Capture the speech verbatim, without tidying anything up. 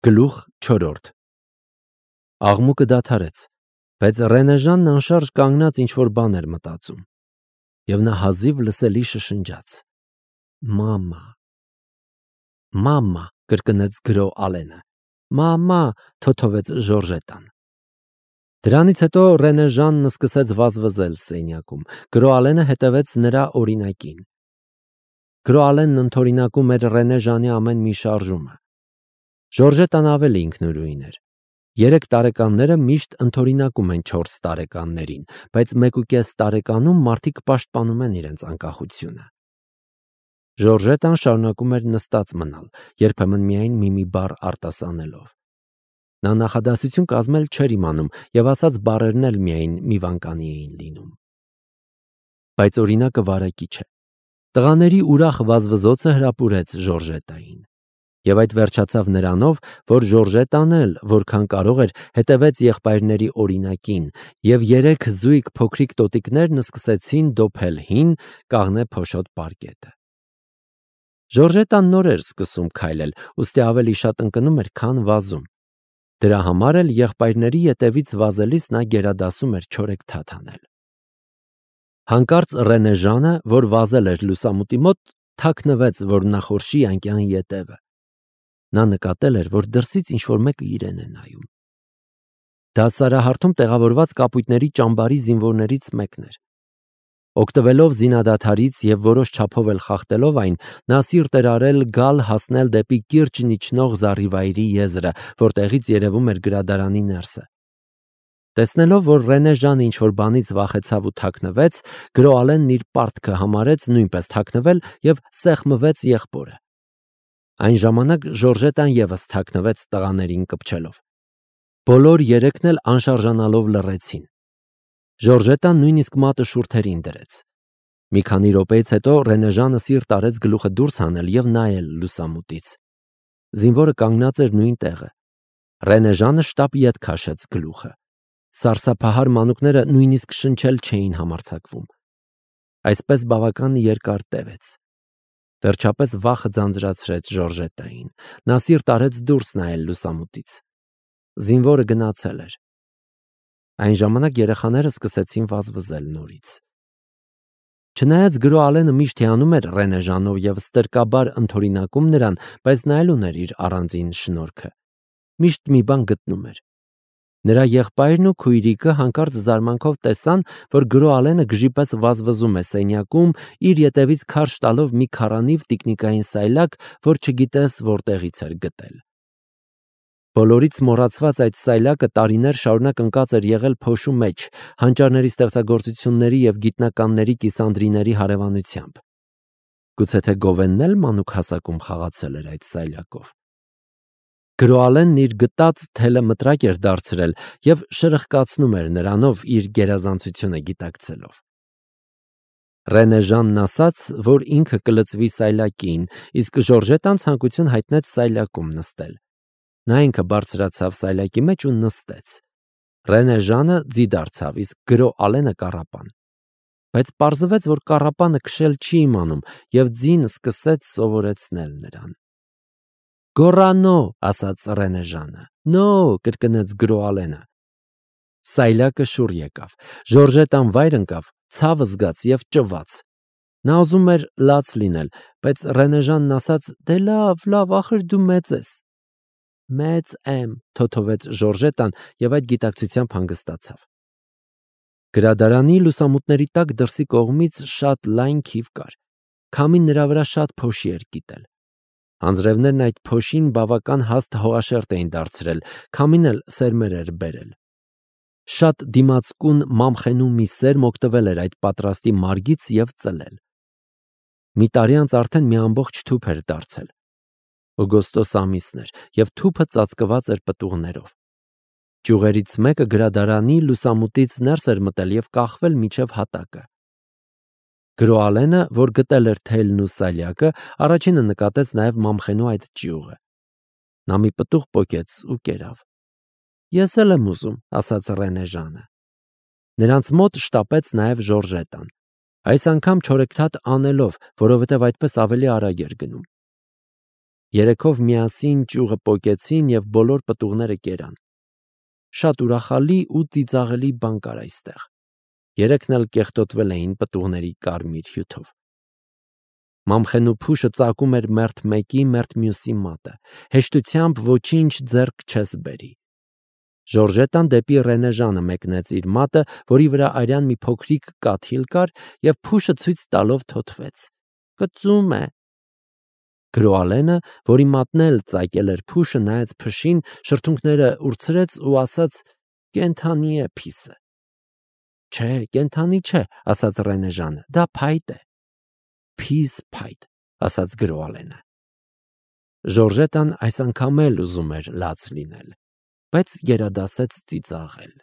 Գլուխ չորրորդ Աղմուկը դադարեց, բայց Ռենեժանն անշարժ կանգնած ինչ-որ բան էր մտածում, և նա հազիվ լսելի շշնջաց. «Մամա, մամա», կրկնեց գրո Ալենը, «մամա», թոթովեց Ժորժետան։ Դրանից հետո Ռենեժանն սկսեց վազվզել սենյակում, գրո Ալենը հետևեց նրա օրինակին։ Գրո Ալենն ընդօրինակում էր Ռենեժանի ամեն մի շարժումը։ Ժորժետան ավելի ինքնուրույն էր։ Երեք տարեկանները միշտ ընդօրինակում են չորս տարեկաններին, բայց մեկուկես տարեկանում մարդիկ պաշտպանում են իրենց անկախությունը։ Ժորժետան շարունակում էր նստած մնալ, երբեմն միայն մի-մի բառ արտասանելով։ Նա նախադասություն կազմել չէր իմանում և ասած բառերն էլ միայն մի վանկանի էին լինում։ Բայց օրինակը վարակիչ է։ Տղաների ուրախ վազվզոցը հրապուրեց Ժորժետային։ Եվ այդ վերջացավ նրանով, որ Ժորժետան էլ, որքան կարող էր, հետևեց եղբայրների օրինակին, և երեք զույգ փոքրիկ տոտիկներն սկսեցին դոփել հին, կաղնե փոշոտ պարկետը։ Ժորժետան նոր էր սկսում քայլել, ուստի ավելի շատ ընկնում էր, քան վազում։ Դրա համար էլ եղբայրների ետևից վազելիս նա գերադասում էր չորեքթաթ անել։ Հանկարծ Ռենեժանը, որ վազել էր լուսամուտի մոտ, թաքնվեց, որ նախորշի անկյան ետևը։ Նա նկատել էր, որ դրսից ինչ-որ մեկը իրեն է նայում։ Դա սարահարթում տեղավորված կապույտների ճամբարի զինվորներից մեկն էր։ Օգտվելով զինադադարից և որոշ չափով էլ խախտելով այն, նա սիրտ էր արել գալ հասնել դեպի կիրճն իջնող զառիվայրի եզրը, որտեղից երևում էր գրադարանի ներսը։ Տեսնելով, որ Ռենեժանը ինչ-որ բանից վախեցավ ու թաքնվեց, գրո Ալենն իր պարտքը համարեց նույնպես թաքնվել և սեղմվեց եղբորը։ Այն ժամանակ Ժորժետան ևս թաքնվեց տղաներին կպչելով։ Բոլոր երեքն էլ անշարժանալով լռեցին։ Ժորժետան նույնիսկ մատը շուրթերին դրեց։ Մի քանի րոպեից հետո Ռենեժանը սիրտ արեց գլուխը դուրս հանել և նայել լուսամուտից։ Զինվորը կանգնած էր նույն տեղը։ Ռենեժանը շտապ ետ քաշեց գլուխը։ Սարսափահար մանուկները նույնիսկ շնչել չէին համարձակվում։ Այսպես բավական երկար տևեց։ Վերջապես վախը ձանձրացրեց Ժորժետային։ Նա սիրտ արեց դուրս նայել լուսամուտից։ Զինվորը գնացել էր։ Այն ժամանակ երեխաները սկսեցին վազվզել նորից։ Չնայած գրո Ալենը միշտ հիանում էր Ռենեժանով և ստրկաբար ընդօրինակում նրան, բայց նա էլ ուներ իր առանձին շնորհքը։ Միշտ մի բան գտնում էր։ Նրա եղբայրն ու քույրիկը հանկարծ զարմանքով տեսան, որ գրո Ալենը գժի պես վազվզում է սենյակում, իր ետևից քարշ տալով մի քառանիվ տիկնիկային սայլակ, որ չգիտես որտեղից էր գտել։ Բոլորից մոռացված այդ սայլակը տարիներ շարունակ ընկած էր եղել փոշու մեջ, հանճարների ստեղծագործությունների և գիտնականների կիսանդրիների հարևանությամբ։ Գուցե թե Գովենն էլ մանուկ հասակում խաղացել էր այդ սայլակով։ Գրո Ալենն իր գտած թելը մտրակ էր դարձրել և շրխկացնում էր նրանով իր գերազանցությունը գիտակցելով։ Ռենեժանն ասաց, որ ինքը կլծվի սայլակին, իսկ Ժորժետան ցանկություն հայտնեց սայլակում նստել։ Նա ինքը բարձրացավ սայլակի մեջ ու նստեց։ Ռենեժանը ձի դարձավ, իսկ գրո Ալենը կառապան։ Բայց պարզվեց, որ կառապանը քշել չի իմանում, և ձին սկսեց սովորեցնել նրան։ «Գոռանո», ասաց Ռենեժանը։ «Նո», կրկնեց գրո Ալենը։ Սայլակը շուռ եկավ։ Ժորժետան վայր ընկավ, ցավ զգաց և ճվաց։ Նա ուզում էր լաց լինել, բայց Ռենեժանն ասաց. «Դե լավ, լավ, ախր դու մեծ ես»։ «Մեծ եմ», թոթովեց Ժորժետան և այդ գիտակցությամբ հանգստացավ։ Գրադարանի լուսամուտների տակ դրսի կողմից շատ լայն քիվ կար։ Քամին նրա վրա շատ փոշի էր կիտել։ Անձրևներն այդ փոշին բավական հաստ հողաշերտ էին դարձրել, քամին էլ սերմեր էր բերել։ Շատ դիմացկուն մամխենու մի սերմ օգտվել էր այդ պատրաստի մարգից և ծլել։ Մի տարի անց արդեն մի ամբողջ թուփ էր դարձել։ Օգոստոս ամիսն էր, և թուփը ծածկված էր պտուղներով։ Ճյուղերից մեկը գրադարանի լուսամուտից ներս էր մտել և կախվել մինչև հատակը։ Գրո Ալենը, որ գտել էր թելն ու սայլակը, առաջինը նկատեց նաև մամխենու այդ ճյուղը։ Նա մի պտուղ պոկեց ու կերավ։ «Ես էլ եմ ուզում», ասաց Ռենեժանը։ Նրանց մոտ շտապեց նաև Ժորժետան։ Այս անգամ չորեքթաթ անելով, որովհետև այդպես ավելի արագ էր գնում։ Երեքով միասին ճյուղը պոկեցին և բոլոր պտուղները կերան։ Շատ ուրախալի ու ծիծաղելի բան կար այստեղ։ Երեքն էլ կեղտոտվել էին պտուղների կարմիր հյութով։ Մամխեն ու Փուշը ծակում էր մերթ մեկի, մերթ մյուսի մատը, հեշտությամբ ոչինչ ձեռք չես բերի։ Ժորժետան դեպի Ռենեժանը մեկնեց իր մատը, որի վրա արյան մի փոքրիկ կաթիլ կար, և Փուշը ցույց տալով թոթվեց. «Կծում է»։ Գրոալենը, որի մատն էլ ծակել էր Փուշը, նայեց փշին, շրթունքները ուրցրեց ու ասաց. «Կենդանի է փիսը»։ «Չէ, կենդանի չէ», ասաց Ռենեժանը, «դա փայտ է»։ «Փիս փայտ», ասաց Գրոալենը։ Ժորժետան այս անգամ էլ ուզում էր լաց լինել, բայց գերադասեց ծիծաղել։